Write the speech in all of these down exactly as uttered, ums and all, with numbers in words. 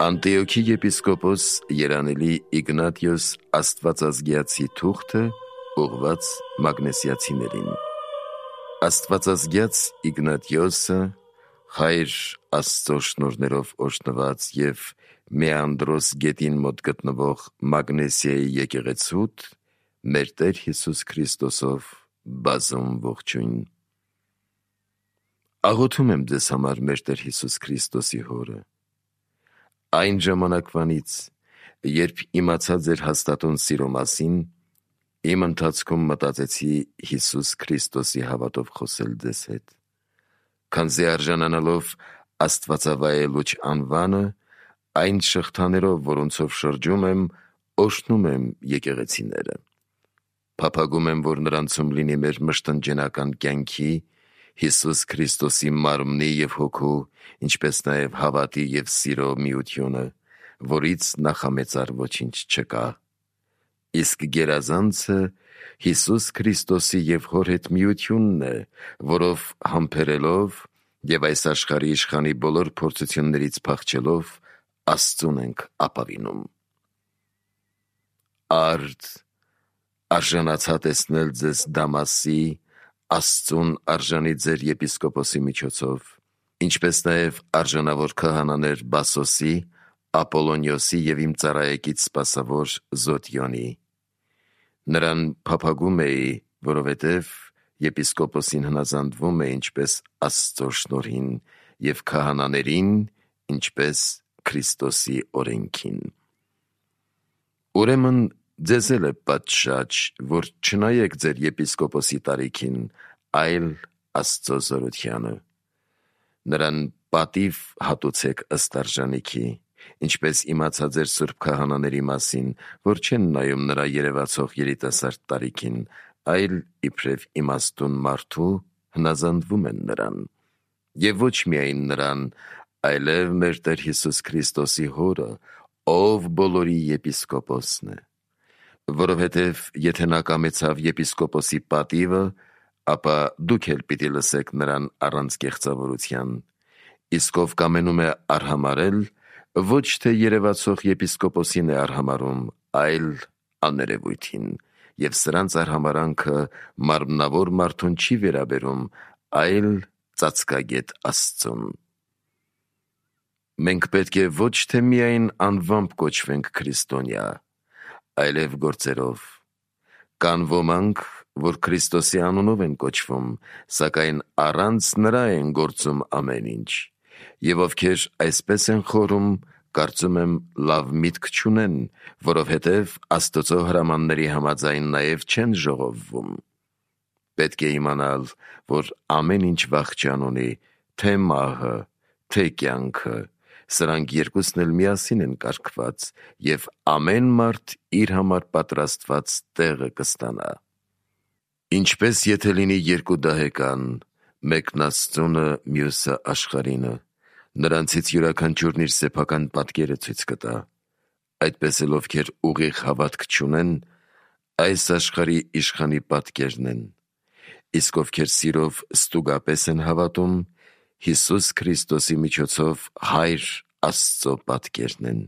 Անտիոքի եպիսկոպոս Երանելի Իգնատիոս Աստվածազգյացի թուղթը ուղղված մագնեսիացիներին։ Աստվածազգյաց Իգնատիոսը խայր Աստծո շնորհներով օրհնված և Մեանդրոս գետին մոտ գտնվող Մագնեսիայի եկեղեցուդ մեր Տեր Հիսուս Քրիստոսով բազում ողջույն։ Աղոթում եմ ձեզ համար մեր Տեր Հիսուս Քրիստոսի հորը։ Այն ժամանակվանից, երբ իմացա ձեր հաստատուն սիրո մասին, իմ ընթացքում մտածեցի Հիսուս Քրիստոսի հավատով խոսել ձեզ հետ, քանզի արժանանալով աստվածավայելուչ անվանը, այն շղթաներով, որոնցով շրջում եմ, օրհնում եմ եկեղեցիները։ Փափագում եմ, որ նրանցում լինի մեր մշտնջենական կյանքի, Հիսուս Քրիստոսի մարմնի և հոգու, ինչպես նաև հավատի և սիրո միությունը, որից նախամեծար ոչինչ չկա։ Իսկ գերազանցը Հիսուս Քրիստոսի և հոր հետ միությունն է, որով համբերելով և այս աշխարհի իշխանի բոլոր փորձություններից փախչելով Աստծուն ենք ապավինում։ Արդ, արժանացա տեսնել ձեզ Դամասի, Աստծուն արժանի ձեր եպիսկոպոսի միջոցով, ինչպես նաև արժանավոր քահանաներ Բասոսի, Ապոլոնիոսի և իմ ծառայեկից սպասավոր Զոտյոնի։ Նրան փափագում էի, որովհետև եպիսկոպոսին հնազանդվում է ինչպես Աստծո շնորհին և քահանաներին, ինչպես Քրիստոսի օրենքին։ Ուրեմն ձեզ էլ է պատշաճ, որ չնայեք ձեր եպիսկոպոսի տարիքին, այլ Աստծո զորությանը։ Նրան պատիվ հատուցեք ըստ արժանիքի, ինչպես իմացա ձեր սուրբ քահանաների մասին, որ չեն նայում նրա երևացող երիտասարդ տարիքին, այլ իբրև իմաստուն մարդու հնազանդվում են նրան։ Եվ ոչ միայն նրան, այլև մեր Տեր Հիսուս Քրիստոսի հորը, ով բոլորի եպիսկոպոսն է։ Որովհետև եթե նա կամեցավ եպիսկոպոսի պատիվը, ապա դուք էլ պիտի լսեք նրան առանց կեղծավորության, իսկ ով կամենում է արհամարհել, ոչ թե երևացող եպիսկոպոսին է արհամարհում, այլ աներևույթին, և սրանց արհամարհանքը մարմնավոր մարդուն չի վերաբերում, այլ ծածկագետ Աստծուն։ Մենք պետք է ոչ թե միայն անվամբ կոչվենք քրիստոնյա, այլև գործերով։ Կան ոմանք, որ Քրիստոսի անունով են կոչվում, սակայն առանց նրա են գործում ամեն ինչ, և ովքեր այսպես են խորում, կարծում եմ լավ միտք չունեն, որովհետև Աստծո հրամանների համաձայն նաև չեն ժողովվում։ Պետք է իմանալ, որ ամեն ինչ վախճան ունի, թե մահը, թե կյանքը, սրանք երկուսն էլ միասին են կարգված, և ամեն մարդ իր համար պատրաստված տեղը կստանա։ Ինչպես եթե լինի երկու դահեկան, մեկն Աստծունը, մյուսը աշխարհինը, նրանցից յուրաքանչյուրն իր սեփական պատկերը ցույց կտա։ Այդպես էլ ովքեր ուղիղ հավատք չունեն, այս աշխարհի իշխանի պատկերն են, իսկ ովքեր սիրով ստուգապես են հավատում, Հիսուս Քրիստոսի միջոցով Հայր Աստծո պատկերն են։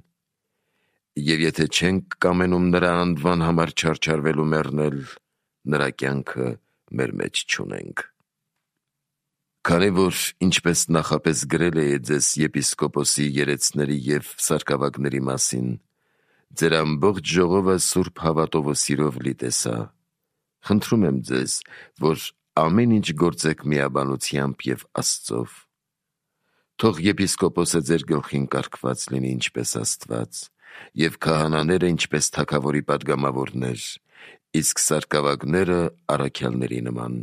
Եվ եթե չենք կամենում նրա անվան համար չարչարվելու մեռնել, նրա կյանքը մեր մեջ չունենք։ Քանի որ ինչպես նախապես գրել էի ձեզ եպիսկոպոսի երեցների և սարկավագների մասին, ձեր ամբողջ ժողովը սուրբ հավատով ու սիրով լի տեսա, խնդրում եմ ձեզ, որ ամեն ինչ գործեք միաբանությամբ և Աստծով։ Թող եպիսկոպոսը ձեր գլխին կարգված լինի ինչպես Աստված, և քահանաները ինչպես թագավորի պատգամավորներ, իսկ սարկավագները առաքյալների նման։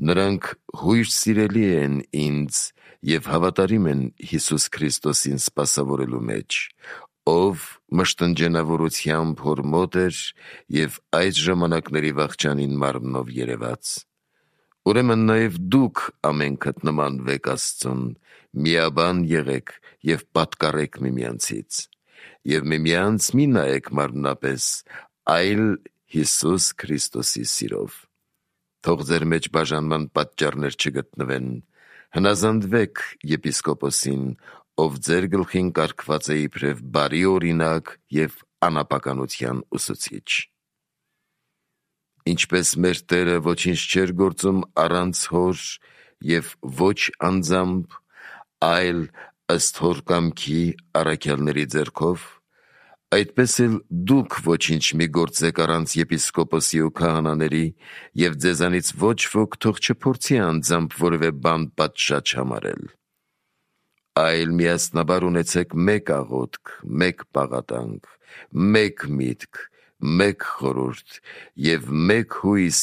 Նրանք հույր սիրելի են ինձ և հավատարիմ են Հիսուս Քրիստոսին սպասավորելու մեջ, ով մշտնջենավորությամբ հոր մոտ էր և այդ ժամանակների վախճանին մարմնով երևաց։ Ուրեմն նաև դուք ամենքդ նմանվեք Աստծուն, միաբան եղեք և պատկառեք միմյանցից, և միմյանց մի նայեք մարմնապես, այլ Հիսուս Քրիստոսի սիրով։ Թող ձեր մեջ բաժանման պատճառներ չգտնվեն, հնազանդվեք եպիսկոպոսին, ով ձեր գլխին կարգված է իբրև բարի օրինակ և անապականության ուսուցիչ։ Ինչպես մեր Տերը ոչինչ չէր գործում առանց հոր և ոչ անձամբ, այլ ըստ հոր կամքի առաքյալների ձեռքով, այդպես էլ դուք ոչինչ մի գործեք առանց եպիսկոպոսի ու քահանաների, և ձեզանից ոչ ոք թող չփորձի անձամբ որևէ բան պատշաճ համարել, այլ միասնաբար ունեցեք մեկ աղոթք, մեկ պաղատանք, մեկ միտք, մեկ խորհուրդ և մեկ հույս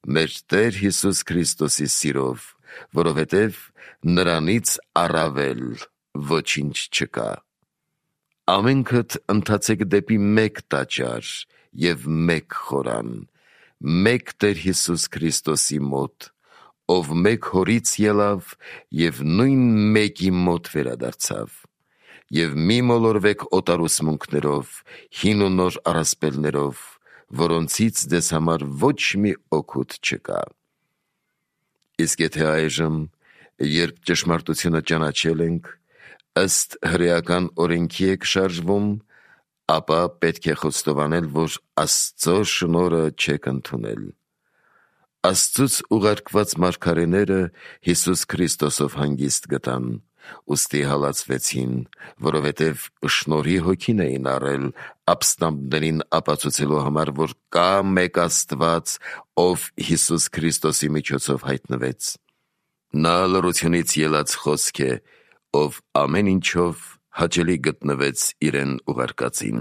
մեր Տեր Հիսուս Քրիստոսի սիրով, որովհետև նրանից առավել ոչինչ չկա։ Ամենքդ ընթացեք դեպի մեկ տաճար և մեկ խորան, մեկ Տեր Հիսուս Քրիստոսի մոտ, ով մեկ հորից ելավ և նույն մեկի մոտ վերադարձավ, և մի մոլորվեք օտարուսմունքներով, հին ու նոր առասպելներով, որոնցից ձեզ համար ոչ մի օգուտ չկա։ Իսկ եթե այժմ, երբ ճշմարտությունը ճանաչել ենք, ըստ հրեական օրենքի եք շարժվում, ապա պետք է խոստովանել, որ Աստծո շնորհը չեք ընդունել։ Աստծուց ուղարկված մարգարեները Հիսուս Քրիստոսով հանգիստ գտան, ուստի հալածվեցին, որովհետև շնորհի հոգին էին առել ապստամբներին ապացուցելու համար, որ կա մեկ Աստված, ով Հիսուս Քրիստոսի միջոցով հայտնվեց։ Նա լռությունից ելած խոսք է, ով ամեն ինչով հաճելի գտնվեց իրեն ուղարկածին։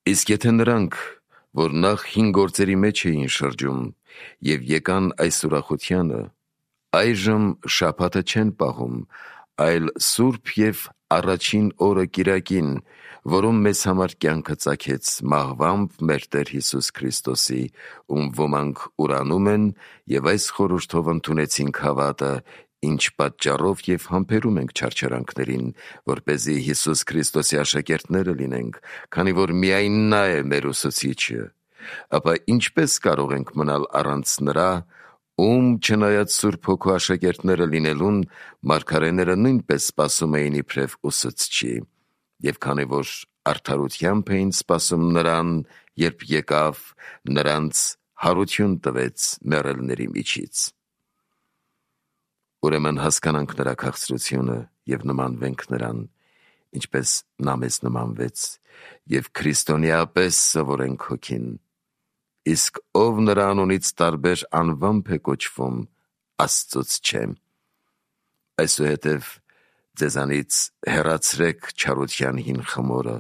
Իսկ եթե նրանք, որ նախ հին գործերի մեջ էին շրջում և եկան այս ուրախությանը, այժմ շաբաթը չեն պահում, այլ սուրբ և առաջին օրը կիրակին, որում մեզ համար կյանքը ծագեց մահվամբ մեր Տեր Հիսուս Քրիստոսի, ում ոմանք ուրանում են և այս խորհրդով ընդունեցինք հավատը, ինչ պատճառով և համբերում ենք չարչարանքներին, որպեսզի Հիսուս Քրիստոսի աշակերտները լինենք, քանի որ միայն նա է մեր ուսուցիչը, ապա ինչպես կարող ենք մնալ առանց նրա, ում չնայած Սուրբ Հոգու աշակերտները լինելուն, մարգարեները նույնպես սպասում էին իբրև ուսուցչի, և քանի որ արդարությամբ էին սպասում նրան, երբ եկավ, նրանց հարություն տվեց մեռելների միջից։ Ուրեմն հասկանանք նրա քաղցրությունը և նմանվենք նրան, ինչպես նա մեզ նմանվեց, և քրիստոնեապես սովորենք հոգին։ Իսկ ով նրա անունից տարբեր անվամբ է կոչվում, Աստծուց չէ։ Այսուհետև ձեզանից հեռացրեք չարության հին խմորը,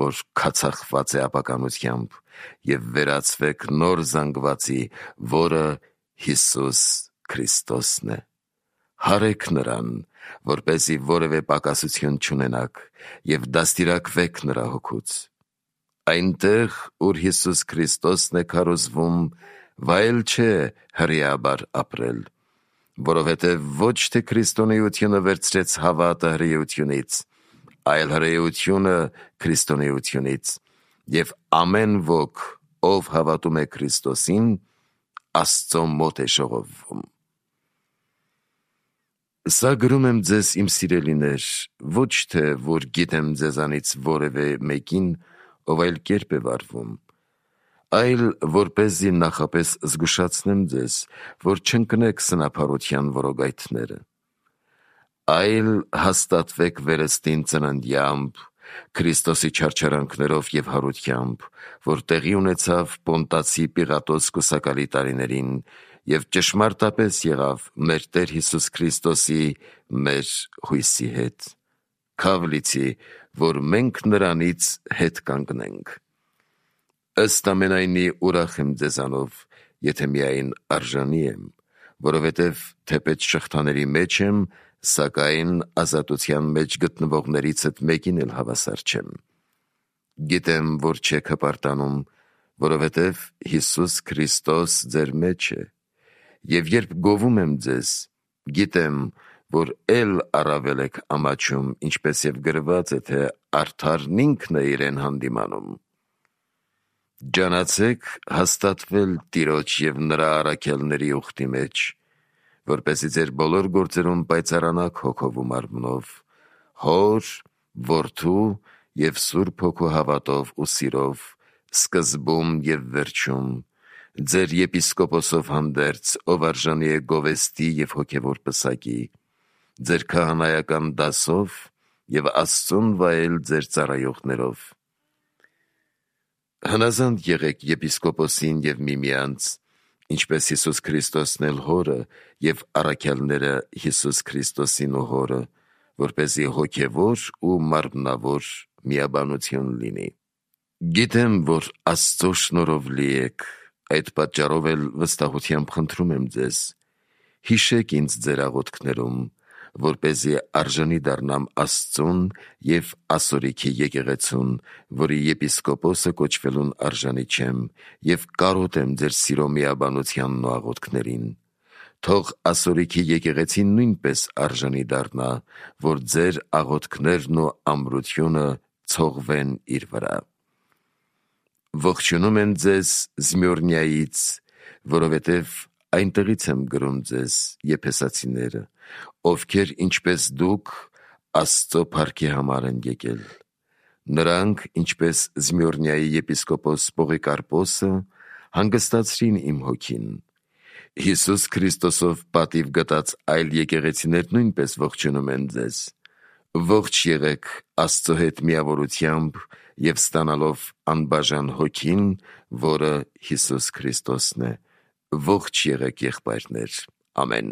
որ քացախված է ապականությամբ, և վերածվեք նոր զանգվածի, որը Հիսուս Քրիստոսն է։ Հարեք նրան, որպեսզի որևէ պակասություն չունենաք, և դաստիարակվեք նրա հոգուց։ Այնտեղ, ուր Հիսուս Քրիստոսն է քարոզվում, վայել չէ հրեաբար ապրել, որովհետև ոչ թե քրիստոնեությունը վերցրեց հավատը հրեությունից, այլ հրեությունը քրիստոնեությունից, և ամեն ոք, ով հավատում է Քրիստոսին, Աստծո մոտ է ժողովվում։ Սա գրում եմ ձեզ, իմ սիրելիներ, ոչ թե, որ գիտեմ ձեզանից որևէ մեկին, ով այլ կերպ է վարվում, այլ որպեսզի նախապես զգուշացնեմ ձեզ, որ չընկնեք սնափառության որոգայթները, այլ հաստատվեք վերստին ծննդյամբ, Քրիստոսի չարչարանքներով և հարությամբ, որ տեղի ունեցավ Պոնտացի Պիղատոս կուսակալի տարիներին, և ճշմարտապես եղավ մեր Տեր Հիսուս Քրիստոսի մեր հույսի հետ, քավ լիցի, որ մենք նրանից հետ կանգնենք։ Ըստ ամենայնի ուրախ եմ ձեզանով, եթե միայն արժանի եմ, որովհետև թեպետ շղթաների մեջ եմ, սակայն ազատության մեջ գտնվողներիցդ մեկին էլ հավասար չեմ։ Գիտեմ, որ չեք հպարտանում, որովհետև Հիսուս Քրիստոս ձեր մեջ է, և երբ գովում եմ ձեզ, գիտեմ, որ էլ առավել եք ամաչում, ինչպես և գրված է, թե արդարն ինքն է իրեն հանդիմանում։ Ջանացեք հաստատվել Տիրոջ և նրա առաքյալների ուխտի մեջ, որպեսզի ձեր բոլոր գործերում պայծառանաք հոգով ու մարմնով, Հոր, Որդու և Սուրբ Հոգու հավատով ու սիրով, սկզբում և վերջում, ձեր եպիսկոպոսով հանդերձ, ով արժանի է գովեստի և հոգևոր պսակի, ձեր քահանայական դասով և Աստծուն վայել ձեր ծառայողներով։ Հնազանդ եղեք եպիսկոպոսին և միմյանց, ինչպես Հիսուս Քրիստոսն էլ Հորը և առաքյալները Հիսուս Քրիստոսին ու Հորը, որպեսզի հոգևոր ու մարմնավոր միաբանություն լինի։ Գիտեմ, որ Աստծո շնորհով լի եք, այդ պատճառով էլ վստահությամբ խնդրում եմ ձեզ. հիշեք ինձ ձեր աղոթքներում, որպեսզի արժանի դառնամ Աստծուն և ասորիքի եկեղեցուն, որի եպիսկոպոսը կոչվելուն արժանի չեմ, և կարոտ եմ ձեր սիրո միաբանությանն ու աղոթքներին։ Թող ասորիքի եկեղեցին նույնպես արժանի դառնա, որ ձեր աղոթքներն ու ամրությունը ցողվեն իր վրա։ Ողջունում են ձեզ Զմյորնիայից, որովհետև այնտեղից եմ գրում ձեզ, եփեսացիները, ովքեր ինչպես դուք Աստծո փառքի համար են եկել։ Նրանք, ինչպես Զմյորնիայի եպիսկոպոս Պողիկարպոսը, հանգստացրին իմ հոգին։ Հիսուս Քրիստոսով պատիվ գտած այլ եկեղեցիներ նույնպես ողջունում են ձեզ։ Ողջ եղեք Աստծո հետ միավորությամբ և ստանալով անբաժան հոգին, որը Հիսուս Քրիստոսն է։ Ողջ եղեք եղբայրներ։ Ամեն։